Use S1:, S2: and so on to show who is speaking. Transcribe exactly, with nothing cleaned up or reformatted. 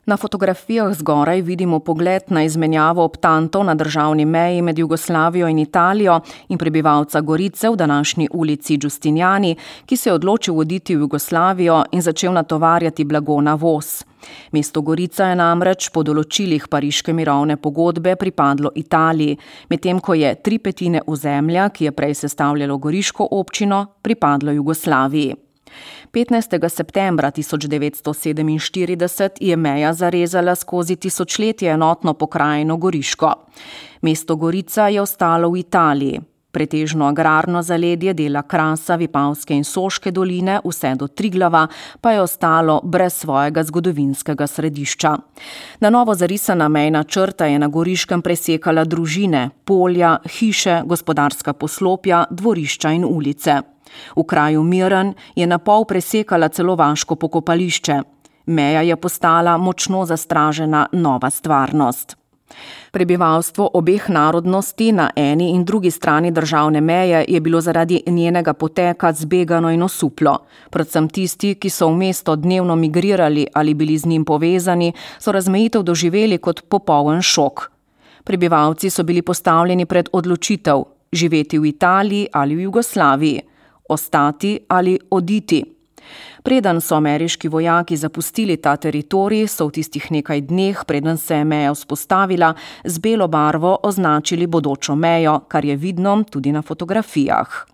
S1: Na fotografijah zgoraj vidimo pogled na izmenjavo optantov na državni meji med Jugoslavijo in Italijo in prebivalca Gorice v današnji ulici Giustiniani, ki se je odločil oditi v Jugoslavijo in začel natovarjati blago na voz. Mesto Gorica je namreč po določilih pariške mirovne pogodbe pripadlo Italiji, medtem ko je tri petine ozemlja, ki je prej sestavljalo goriško občino, pripadlo Jugoslaviji. petnajstega septembra tisoč devetsto sedeminštirideset je meja zarezala skozi tisočletje enotno pokrajino Goriško. Mesto Gorica je ostalo v Italiji. Pretežno agrarno zaledje dela Krasa, Vipavske in Soške doline vse do Triglava pa je ostalo brez svojega zgodovinskega središča. Na novo zarisana mejna črta je na Goriškem presekala družine, polja, hiše, gospodarska poslopja, dvorišča in ulice. V kraju Miren je na pol presekala celo vaško pokopališče. Meja je postala močno zastražena nova stvarnost. Prebivalstvo obeh narodnosti na eni in drugi strani državne meje je bilo zaradi njenega poteka zbegano in osuplo. Predvsem tisti, ki so v mesto dnevno migrirali ali bili z njim povezani, so razmejitev doživeli kot popoln šok. Prebivalci so bili postavljeni pred odločitev: živeti v Italiji ali v Jugoslaviji, ostati ali oditi. Preden so ameriški vojaki zapustili ta teritorij, so v tistih nekaj dneh, preden se je meja vzpostavila, z belo barvo označili bodočo mejo, kar je vidno tudi na fotografijah.